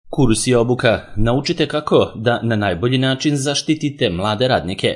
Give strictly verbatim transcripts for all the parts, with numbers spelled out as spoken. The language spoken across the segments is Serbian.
Kurs i obuka. Naučite kako da na najbolji način zaštitite mlade radnike.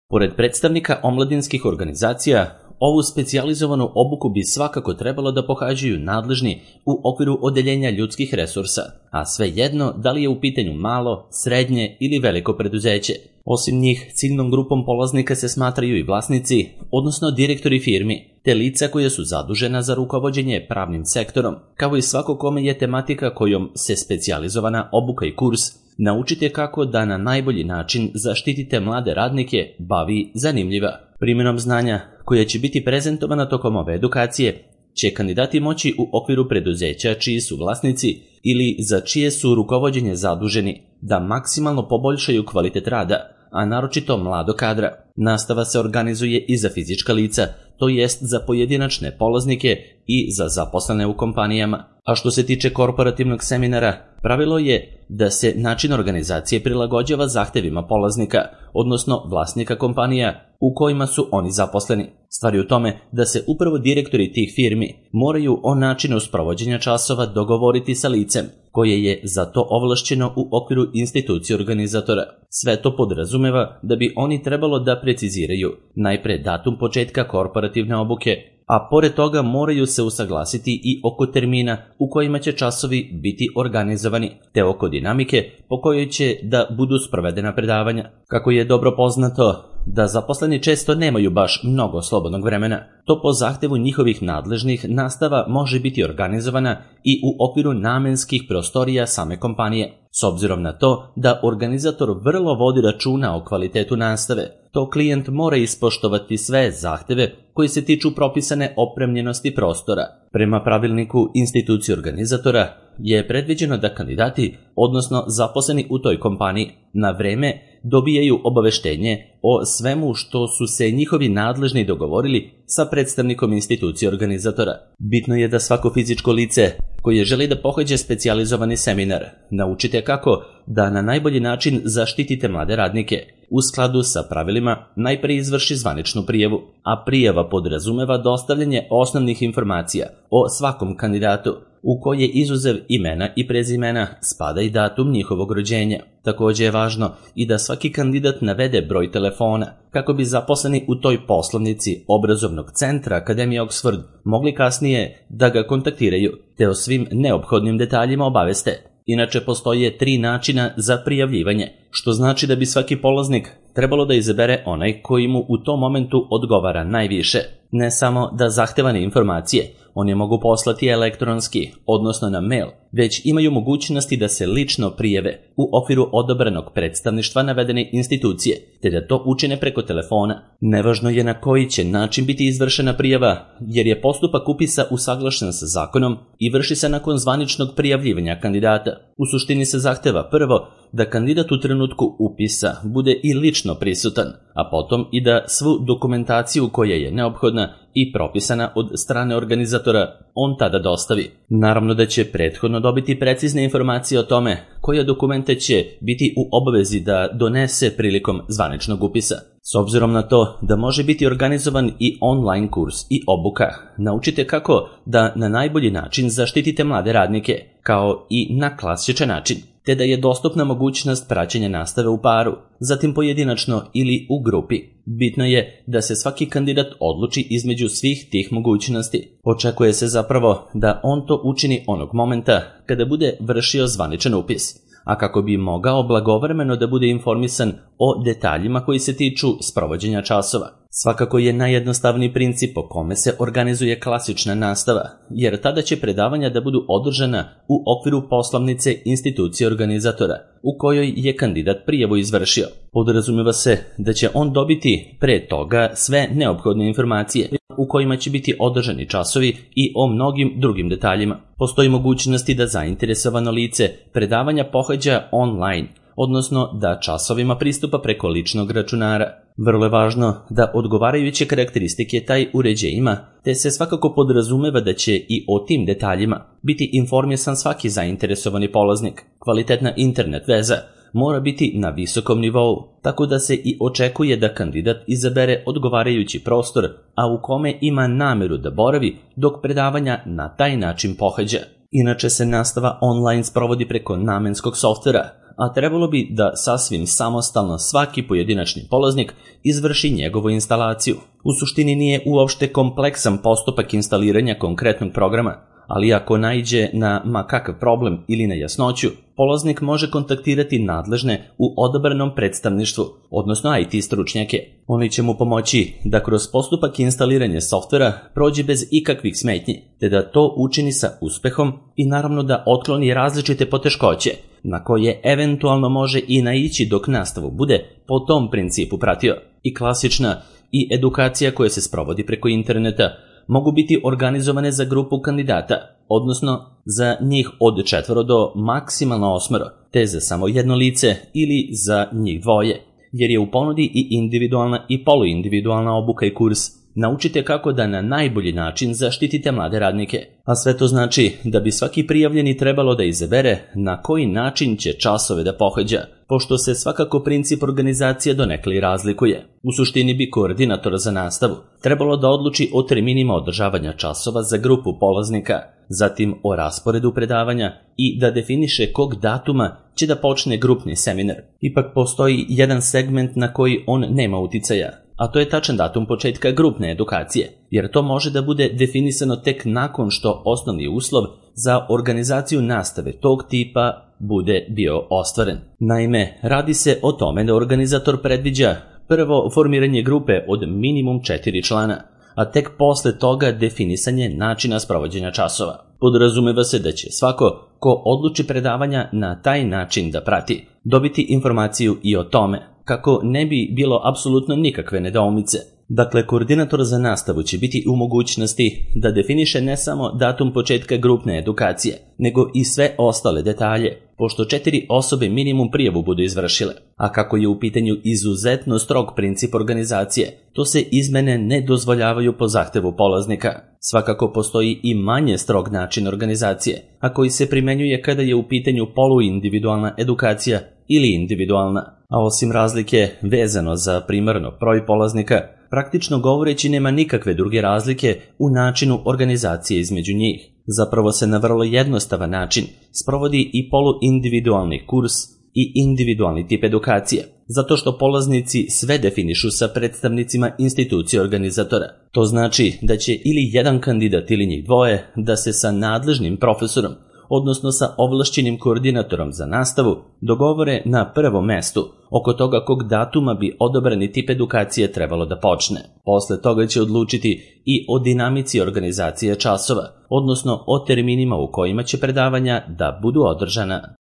Pored predstavnika omladinskih organizacija, ovu specijalizovanu obuku bi svakako trebalo da pohađaju nadležni u okviru odeljenja ljudskih resursa, a svejedno da li je u pitanju malo, srednje ili veliko preduzeće. Osim njih, ciljnom grupom polaznika se smatraju i vlasnici, odnosno direktori firmi, te lica koja su zadužena za rukovođenje pravnim sektorom, kao i svako kome je tematika kojom se specijalizovana obuka i kurs Naučite kako da na najbolji način zaštitite mlade radnike bavi zanimljiva. Primjenom znanja koja će biti prezentovana tokom ove edukacije će kandidati moći u okviru preduzeća čiji su vlasnici ili za čije su rukovođenje zaduženi da maksimalno poboljšaju kvalitet rada, a naročito mlado kadra. Nastava se organizuje i za fizička lica, to jest za pojedinačne polaznike i za zaposlene u kompanijama. A što se tiče korporativnog seminara, pravilo je da se način organizacije prilagođava zahtevima polaznika, odnosno vlasnika kompanija u kojima su oni zaposleni. Stvar je u tome da se upravo direktori tih firmi moraju o načinu sprovođenja časova dogovoriti sa licem koje je za to ovlašćeno u okviru institucije organizatora. Sve to podrazumeva da bi oni trebalo da preciziraju najpre datum početka korporativne obuke, a pored toga moraju se usaglasiti i oko termina u kojima će časovi biti organizovani, te oko dinamike po kojoj će da budu sprovedena predavanja. Kako je dobro poznato da zaposleni često nemaju baš mnogo slobodnog vremena, to po zahtevu njihovih nadležnih nastava može biti organizovana i u okviru namenskih prostorija same kompanije. S obzirom na to da organizator vrlo vodi računa o kvalitetu nastave, to klijent mora ispoštovati sve zahteve koji se tiču propisane opremljenosti prostora. Prema pravilniku institucije organizatora je predviđeno da kandidati, odnosno zaposleni u toj kompaniji, na vreme dobijaju obaveštenje o svemu što su se njihovi nadležni dogovorili sa predstavnikom institucije organizatora. Bitno je da svako fizičko lice koje želi da pohađa specijalizovani seminar naučite kako da na najbolji način zaštitite mlade radnike. U skladu sa pravilima najpre izvrši zvaničnu prijavu, a prijava podrazumeva dostavljanje osnovnih informacija o svakom kandidatu, u koje izuzev imena i prezimena spada i datum njihovog rođenja. Također je važno i da svaki kandidat navede broj telefona, kako bi zaposleni u toj poslovnici obrazovnog centra Akademije Oxford mogli kasnije da ga kontaktiraju, te o svim neophodnim detaljima obaveste. Inače, postoje tri načina za prijavljivanje, što znači da bi svaki polaznik trebalo da izabere onaj koji mu u tom momentu odgovara najviše. Ne samo da zahtevane informacije oni mogu poslati elektronski, odnosno na mail, već imaju mogućnosti da se lično prijave u okviru odabranog predstavništva navedene institucije, te da to učine preko telefona. Nevažno je na koji će način biti izvršena prijava, jer je postupak upisa usaglašen sa zakonom i vrši se nakon zvaničnog prijavljivanja kandidata. U suštini se zahteva prvo da kandidat u trenutku upisa bude i lično prisutan, a potom i da svu dokumentaciju koja je neophodna i propisana od strane organizatora on tada dostavi. Naravno da će prethodno dobiti precizne informacije o tome koje dokumente će biti u obavezi da donese prilikom zvaničnog upisa. S obzirom na to da može biti organizovan i online kurs i obuka, naučite kako da na najbolji način zaštitite mlade radnike, kao i na klasičan način, te da je dostupna mogućnost praćenja nastave u paru, zatim pojedinačno ili u grupi. Bitno je da se svaki kandidat odluči između svih tih mogućnosti. Očekuje se zapravo da on to učini onog momenta kada bude vršio zvaničan upis, a kako bi mogao blagovremeno da bude informisan o detaljima koji se tiču sprovođenja časova. Svakako je najjednostavniji princip po kome se organizuje klasična nastava, jer tada će predavanja da budu održana u okviru poslovnice institucije organizatora, u kojoj je kandidat prijavu izvršio. Podrazumeva se da će on dobiti pre toga sve neophodne informacije u kojima će biti održani časovi i o mnogim drugim detaljima. Postoji mogućnosti da zainteresovano lice predavanja pohađa online, odnosno da časovima pristupa preko ličnog računara. Vrlo je važno da odgovarajuće karakteristike taj uređaj ima, te se svakako podrazumeva da će i o tim detaljima biti informisan svaki zainteresovani polaznik. Kvalitetna internet veza mora biti na visokom nivou, tako da se i očekuje da kandidat izabere odgovarajući prostor, a u kome ima nameru da boravi dok predavanja na taj način pohađa. Inače se nastava online sprovodi preko namenskog softvera, a trebalo bi da sasvim samostalno svaki pojedinačni polaznik izvrši njegovu instalaciju. U suštini nije uopšte kompleksan postupak instaliranja konkretnog programa, ali ako naiđe na ma kakav problem ili nejasnoću, polaznik može kontaktirati nadležne u odabranom predstavništvu, odnosno I T stručnjake. Oni će mu pomoći da kroz postupak instaliranja softvera prođe bez ikakvih smetnji, te da to učini sa uspehom i naravno da otkloni različite poteškoće, na koje eventualno može i naići dok nastavu bude po tom principu pratio. I klasična i edukacija koja se sprovodi preko interneta mogu biti organizovane za grupu kandidata, odnosno za njih od četvoro do maksimalno osmero, te za samo jedno lice ili za njih dvoje, jer je u ponudi i individualna i poluindividualna obuka i kurs. Naučite kako da na najbolji način zaštitite mlade radnike, a sve to znači da bi svaki prijavljeni trebalo da izabere na koji način će časove da pohađa, pošto se svakako princip organizacije donekle razlikuje. U suštini bi koordinator za nastavu trebalo da odluči o terminima održavanja časova za grupu polaznika, zatim o rasporedu predavanja i da definiše kog datuma će da počne grupni seminar. Ipak postoji jedan segment na koji on nema uticaja, a to je tačan datum početka grupne edukacije, jer to može da bude definisano tek nakon što osnovni uslov za organizaciju nastave tog tipa bude bio ostvaren. Naime, radi se o tome da organizator predviđa prvo formiranje grupe od minimum četiri člana, a tek posle toga definisanje načina sprovođenja časova. Podrazumeva se da će svako ko odluči predavanja na taj način da prati, dobiti informaciju i o tome, kako ne bi bilo apsolutno nikakve nedoumice. Dakle, koordinator za nastavu će biti u mogućnosti da definiše ne samo datum početka grupne edukacije, nego i sve ostale detalje, pošto četiri osobe minimum prijavu budu izvršile. A kako je u pitanju izuzetno strog princip organizacije, to se izmene ne dozvoljavaju po zahtevu polaznika. Svakako postoji i manje strog način organizacije, a koji se primenjuje kada je u pitanju poluindividualna edukacija ili individualna. A osim razlike vezano za primarno broj polaznika, praktično govoreći nema nikakve druge razlike u načinu organizacije između njih. Zapravo se na vrlo jednostavan način sprovodi i poluindividualni kurs i individualni tip edukacije, zato što polaznici sve definišu sa predstavnicima institucije organizatora. To znači da će ili jedan kandidat ili njih dvoje da se sa nadležnim profesorom, odnosno sa ovlašćenim koordinatorom za nastavu, dogovore na prvom mestu oko toga kog datuma bi odabrani tip edukacije trebalo da počne. Posle toga će odlučiti i o dinamici organizacije časova, odnosno o terminima u kojima će predavanja da budu održana.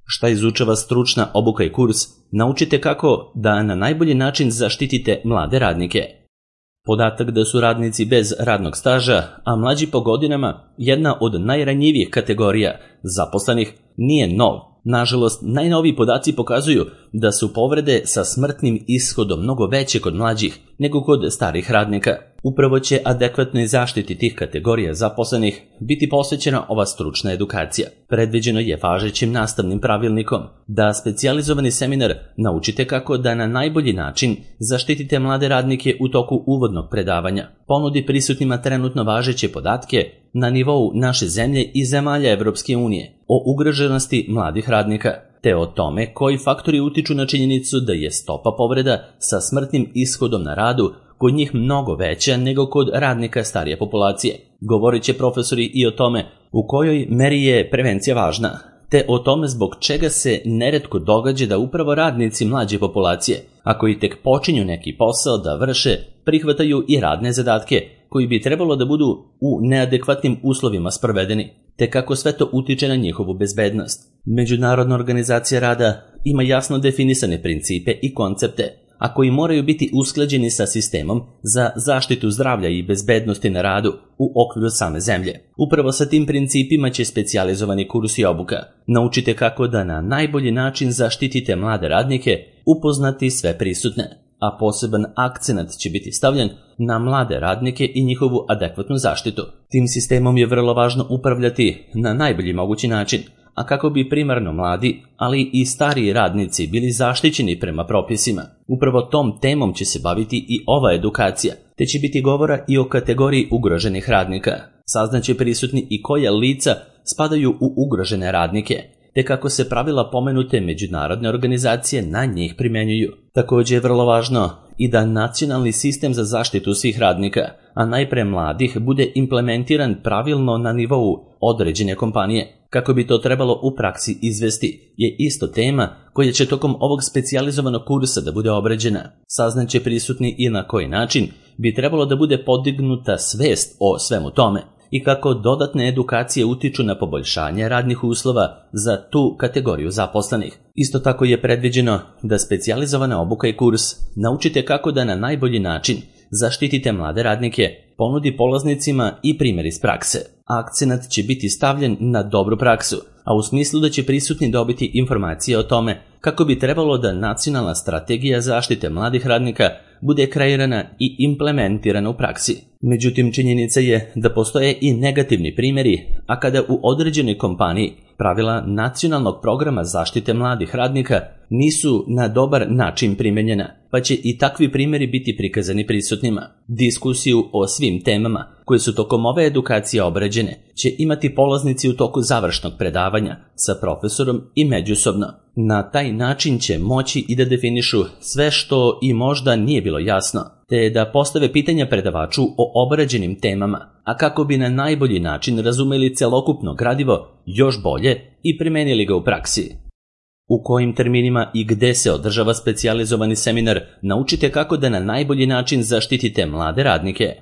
Šta izučava stručna obuka i kurs, naučite kako da na najbolji način zaštitite mlade radnike. Podatak da su radnici bez radnog staža, a mlađi po godinama, jedna od najranjivijih kategorija zaposlenih, nije nov. Nažalost, najnoviji podaci pokazuju da su povrede sa smrtnim ishodom mnogo veće kod mlađih nego kod starih radnika. Upravo će adekvatnoj zaštiti tih kategorija zaposlenih biti posvećena ova stručna edukacija. Predviđeno je važećim nastavnim pravilnikom da specijalizovani seminar naučite kako da na najbolji način zaštitite mlade radnike u toku uvodnog predavanja, ponudi prisutnima trenutno važeće podatke na nivou naše zemlje i zemalja Evropske unije o ugroženosti mladih radnika, te o tome koji faktori utiču na činjenicu da je stopa povreda sa smrtnim ishodom na radu kod njih mnogo veća nego kod radnika starije populacije. Govorit će profesori i o tome u kojoj meri je prevencija važna, te o tome zbog čega se neretko događa da upravo radnici mlađe populacije, ako i tek počinju neki posao da vrše, prihvataju i radne zadatke koji bi trebalo da budu u neadekvatnim uslovima sprovedeni, te kako sve to utiče na njihovu bezbednost. Međunarodna organizacija rada ima jasno definisane principe i koncepte, a koji moraju biti usklađeni sa sistemom za zaštitu zdravlja i bezbednosti na radu u okviru same zemlje. Upravo sa tim principima će specijalizovani kurs i obuka. Naučite kako da na najbolji način zaštitite mlade radnike, upoznati sve prisutne, a poseban akcenat će biti stavljen na mlade radnike i njihovu adekvatnu zaštitu. Tim sistemom je vrlo važno upravljati na najbolji mogući način, a kako bi primarno mladi, ali i stariji radnici bili zaštićeni prema propisima. Upravo tom temom će se baviti i ova edukacija, te će biti govora i o kategoriji ugroženih radnika. Saznaće prisutni i koja lica spadaju u ugrožene radnike, te kako se pravila pomenute međunarodne organizacije na njih primenjuju. Također je vrlo važno i da nacionalni sistem za zaštitu svih radnika, a najpre mladih, bude implementiran pravilno na nivou određene kompanije. Kako bi to trebalo u praksi izvesti, je isto tema koja će tokom ovog specijalizovanog kursa da bude obrađena. Saznaće prisutni i na koji način bi trebalo da bude podignuta svest o svemu tome i kako dodatne edukacije utiču na poboljšanje radnih uslova za tu kategoriju zaposlenih. Isto tako je predviđeno da specijalizovana obuka i kurs naučite kako da na najbolji način zaštitite mlade radnike, ponudi polaznicima i primjer iz prakse. Akcenat će biti stavljen na dobru praksu, a u smislu da će prisutni dobiti informacije o tome kako bi trebalo da nacionalna strategija zaštite mladih radnika bude kreirana i implementirana u praksi. Međutim, činjenica je da postoje i negativni primjeri, a kada u određenoj kompaniji pravila nacionalnog programa zaštite mladih radnika nisu na dobar način primenjena, pa će i takvi primjeri biti prikazani prisutnima. Diskusiju o svim temama koje su tokom ove edukacije obrađene će imati polaznici u toku završnog predavanja sa profesorom i međusobno. Na taj način će moći i da definišu sve što i možda nije bilo jasno, te da postave pitanja predavaču o obrađenim temama, a kako bi na najbolji način razumeli celokupno gradivo još bolje i primenili ga u praksi. U kojim terminima i gde se održava specijalizovani seminar, naučite kako da na najbolji način zaštitite mlade radnike.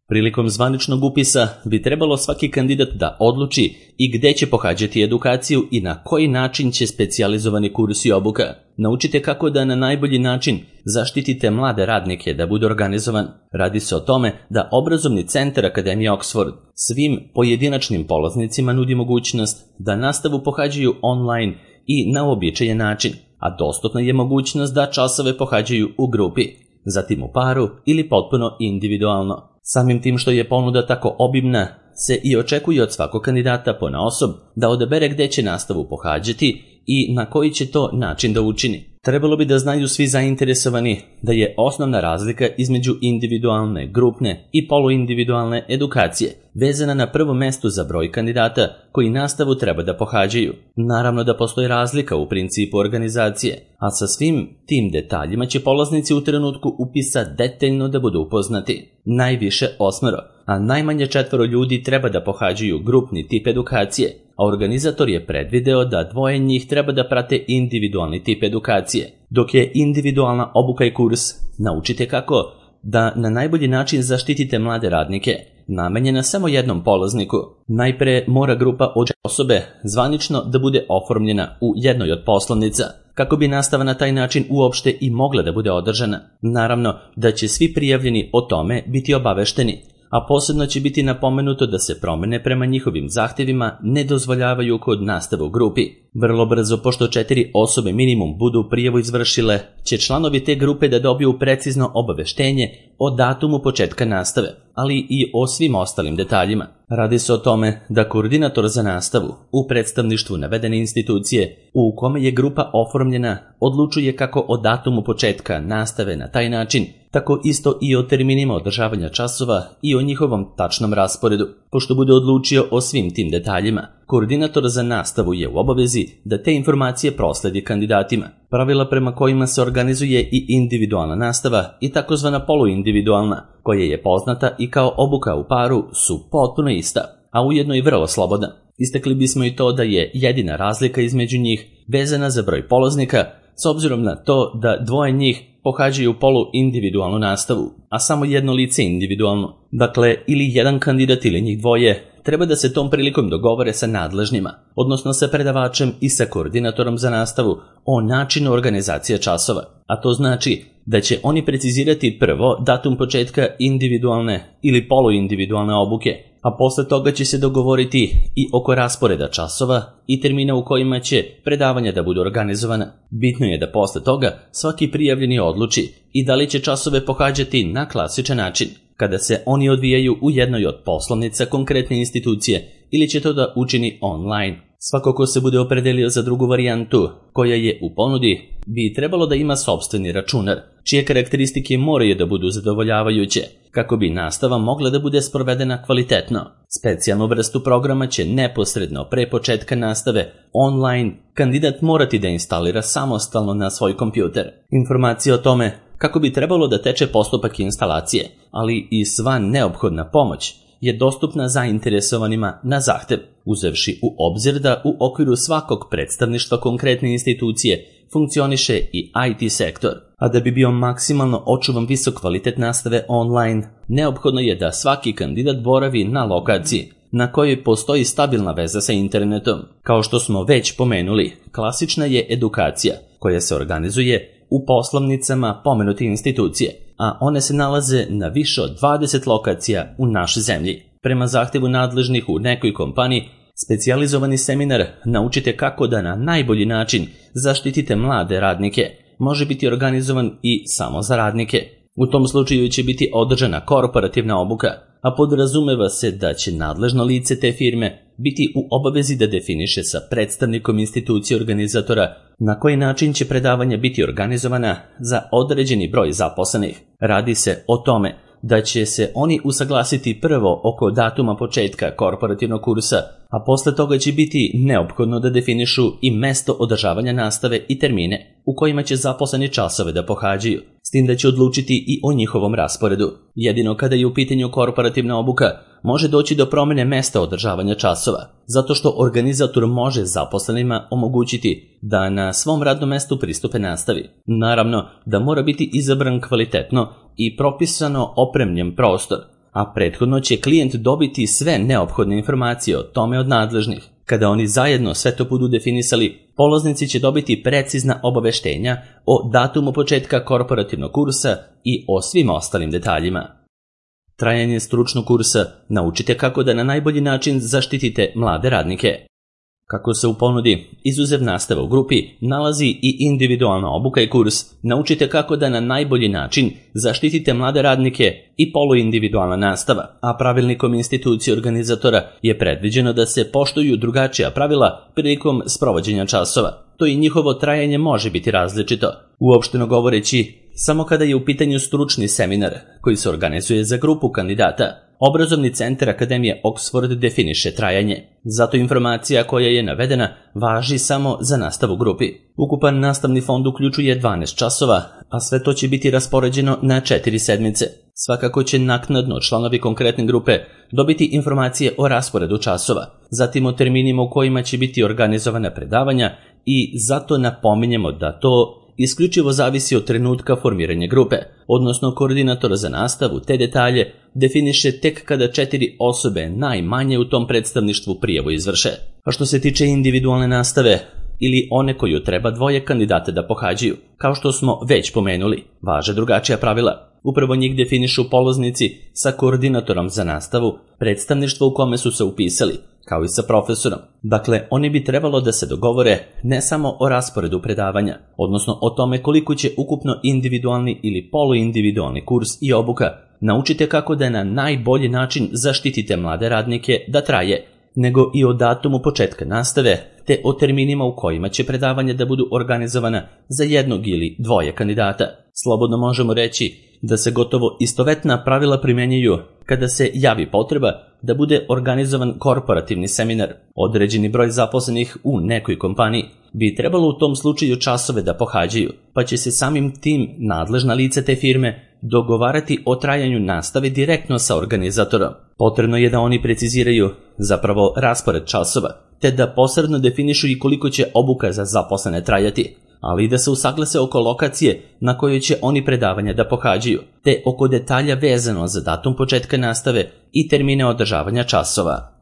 Prilikom zvaničnog upisa bi trebalo svaki kandidat da odluči i gde će pohađati edukaciju i na koji način će specijalizovani kurs i obuka. Naučite kako da na najbolji način zaštitite mlade radnike da bude organizovan. Radi se o tome da obrazovni centar Akademije Oxford svim pojedinačnim polaznicima nudi mogućnost da nastavu pohađaju online i na uobičajen način, a dostupna je mogućnost da časove pohađaju u grupi, zatim u paru ili potpuno individualno. Samim tim što je ponuda tako obimna, se i očekuje od svakog kandidata ponaosob da odabere gde će nastavu pohađati i na koji će to način da učini. Trebalo bi da znaju svi zainteresovani da je osnovna razlika između individualne, grupne i poluindividualne edukacije vezana na prvom mestu za broj kandidata koji nastavu treba da pohađaju. Naravno da postoji razlika u principu organizacije, a sa svim tim detaljima će polaznici u trenutku upisa detaljno da budu upoznati. Najviše osmero, a najmanje četvoro ljudi treba da pohađaju grupni tip edukacije, a organizator je predvideo da dvoje njih treba da prate individualni tip edukacije, dok je individualna obuka i kurs naučite kako da na najbolji način zaštitite mlade radnike, namenjena samo jednom polazniku. Najpre mora grupa od osobe zvanično da bude oformljena u jednoj od poslovnica, kako bi nastava na taj način uopšte i mogla da bude održana. Naravno da će svi prijavljeni o tome biti obavešteni, a posebno će biti napomenuto da se promene prema njihovim zahtjevima ne dozvoljavaju kod nastave u grupi. Vrlo brzo, pošto četiri osobe minimum budu prijavu izvršile, će članovi te grupe da dobiju precizno obaveštenje o datumu početka nastave, ali i o svim ostalim detaljima. Radi se o tome da koordinator za nastavu u predstavništvu navedene institucije u kome je grupa oformljena odlučuje kako o datumu početka nastave na taj način, tako isto i o terminima održavanja časova i o njihovom tačnom rasporedu. Pošto bude odlučio o svim tim detaljima, koordinator za nastavu je u obavezi da te informacije prosledi kandidatima. Pravila prema kojima se organizuje i individualna nastava i takozvana poluindividualna, koja je poznata i kao obuka u paru, su potpuno ista, a ujedno i vrlo slobodna. Istakli bismo i to da je jedina razlika između njih vezana za broj polaznika, s obzirom na to da dvoje njih pohađaju poluindividualnu nastavu, a samo jedno lice individualno. Dakle, ili jedan kandidat ili njih dvoje treba da se tom prilikom dogovore sa nadležnjima, odnosno sa predavačem i sa koordinatorom za nastavu o načinu organizacije časova, a to znači da će oni precizirati prvo datum početka individualne ili poluindividualne obuke, a posle toga će se dogovoriti i oko rasporeda časova i termina u kojima će predavanja da budu organizovana. Bitno je da posle toga svaki prijavljeni odluči i da li će časove pohađati na klasičan način, kada se oni odvijaju u jednoj od poslovnica konkretne institucije, ili će to da učini online. Svako ko se bude opredelio za drugu varijantu, koja je u ponudi, bi trebalo da ima sopstveni računar, čije karakteristike moraju da budu zadovoljavajuće, kako bi nastava mogla da bude sprovedena kvalitetno. Specijalnu vrstu programa će neposredno pre početka nastave online kandidat morati da instalira samostalno na svoj kompjuter. Informacije o tome kako bi trebalo da teče postupak instalacije, ali i sva neophodna pomoć je dostupna zainteresovanima na zahtev, uzevši u obzir da u okviru svakog predstavništva konkretne institucije funkcioniše i I T sektor, a da bi bio maksimalno očuvan visok kvalitet nastave online, neophodno je da svaki kandidat boravi na lokaciji na kojoj postoji stabilna veza sa internetom. Kao što smo već pomenuli, klasična je edukacija koja se organizuje u poslovnicama pomenute institucije, a one se nalaze na više od dvadeset lokacija u našoj zemlji. Prema zahtevu nadležnih u nekoj kompaniji, specijalizovani seminar Naučite kako da na najbolji način zaštitite mlade radnike može biti organizovan i samo za radnike. U tom slučaju će biti održana korporativna obuka, a podrazumeva se da će nadležno lice te firme biti u obavezi da definiše sa predstavnikom institucije organizatora na koji način će predavanja biti organizovana za određeni broj zaposlenih. Radi se o tome da će se oni usaglasiti prvo oko datuma početka korporativnog kursa, a posle toga će biti neophodno da definišu i mesto održavanja nastave i termine u kojima će zaposleni časove da pohađaju, s tim da će odlučiti i o njihovom rasporedu. Jedino kada je u pitanju korporativna obuka, može doći do promene mesta održavanja časova, zato što organizator može zaposlenima omogućiti da na svom radnom mestu pristupe nastavi. Naravno da mora biti izabran kvalitetno i propisano opremljen prostor, a prethodno će klijent dobiti sve neophodne informacije o tome od nadležnih. Kada oni zajedno sve to budu definisali, polaznici će dobiti precizna obaveštenja o datumu početka korporativnog kursa i o svim ostalim detaljima. Trajanje stručnog kursa Naučite kako da na najbolji način zaštitite mlade radnike. Kako se u ponudi izuzev nastava u grupi nalazi i individualna obuka i kurs Naučite kako da na najbolji način zaštitite mlade radnike i poluindividualna nastava, a pravilnikom institucije organizatora je predviđeno da se poštuju drugačija pravila prilikom sprovođenja časova. To i njihovo trajanje može biti različito. Uopšteno govoreći, samo kada je u pitanju stručni seminar koji se organizuje za grupu kandidata, Obrazovni centar Akademije Oxford definiše trajanje. Zato informacija koja je navedena važi samo za nastavu grupi. Ukupan nastavni fond uključuje dvanaest časova, a sve to će biti raspoređeno na četiri sedmice. Svakako će naknadno članovi konkretne grupe dobiti informacije o rasporedu časova, zatim o terminima u kojima će biti organizovana predavanja i zato napominjemo da to isključivo zavisi od trenutka formiranja grupe, odnosno koordinator za nastavu te detalje definiše tek kada četiri osobe najmanje u tom predstavništvu prijavu izvrše. A što se tiče individualne nastave, ili one koju treba dvoje kandidata da pohađaju, kao što smo već pomenuli, važe drugačija pravila. Upravo njih definišu polaznici sa koordinatorom za nastavu, predstavništvo u kome su se upisali, kao i sa profesorom. Dakle, oni bi trebalo da se dogovore ne samo o rasporedu predavanja, odnosno o tome koliko će ukupno individualni ili poluindividualni kurs i obuka Naučite kako da na najbolji način zaštitite mlade radnike da traje, nego i o datumu početka nastave, te o terminima u kojima će predavanja da budu organizovana za jednog ili dvoje kandidata. Slobodno možemo reći da se gotovo istovetna pravila primenjuju kada se javi potreba da bude organizovan korporativni seminar. Određeni broj zaposlenih u nekoj kompaniji bi trebalo u tom slučaju časove da pohađaju, pa će se samim tim nadležna lica te firme dogovarati o trajanju nastave direktno sa organizatorom. Potrebno je da oni preciziraju zapravo raspored časova, te da posredno definišu i koliko će obuka za zaposlene trajati, ali i da se usaglase oko lokacije na kojoj će oni predavanja da pohađaju, te oko detalja vezano za datum početka nastave i termine održavanja časova.